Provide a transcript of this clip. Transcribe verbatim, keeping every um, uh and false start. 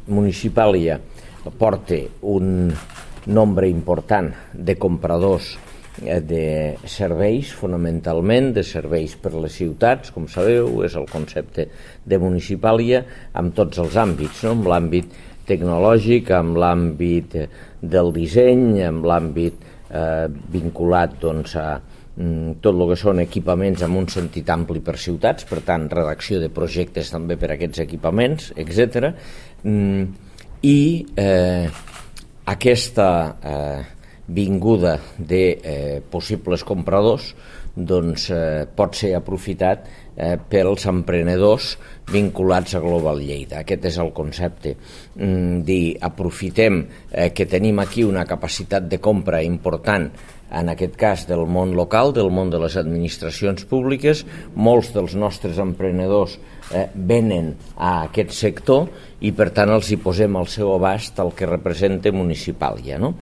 Municipàlia porta un nombre important de compradors de serveis, fonamentalment de serveis per les ciutats, com sabeu, és el concepte de Municipàlia amb tots els àmbits, no? Amb l'àmbit tecnològic, amb l'àmbit del disseny, amb l'àmbit eh, vinculat doncs, a mm, tot el que són equipaments amb un sentit ampli per ciutats, per tant, redacció de projectes també per a aquests equipaments, etcètera. Mm, I eh, aquesta eh, vinguda de eh, possibles compradors doncs, eh, pot ser aprofitat eh, pels emprenedors vinculats a Global Lleida. Aquest és el concepte. Mm, dir, aprofitem eh, que tenim aquí una capacitat de compra important, en aquest cas del món local, del món de les administracions públiques. Molts dels nostres emprenedors eh, venen a aquest sector i per tant els hi posem al seu abast el que representa Municipàlia, no?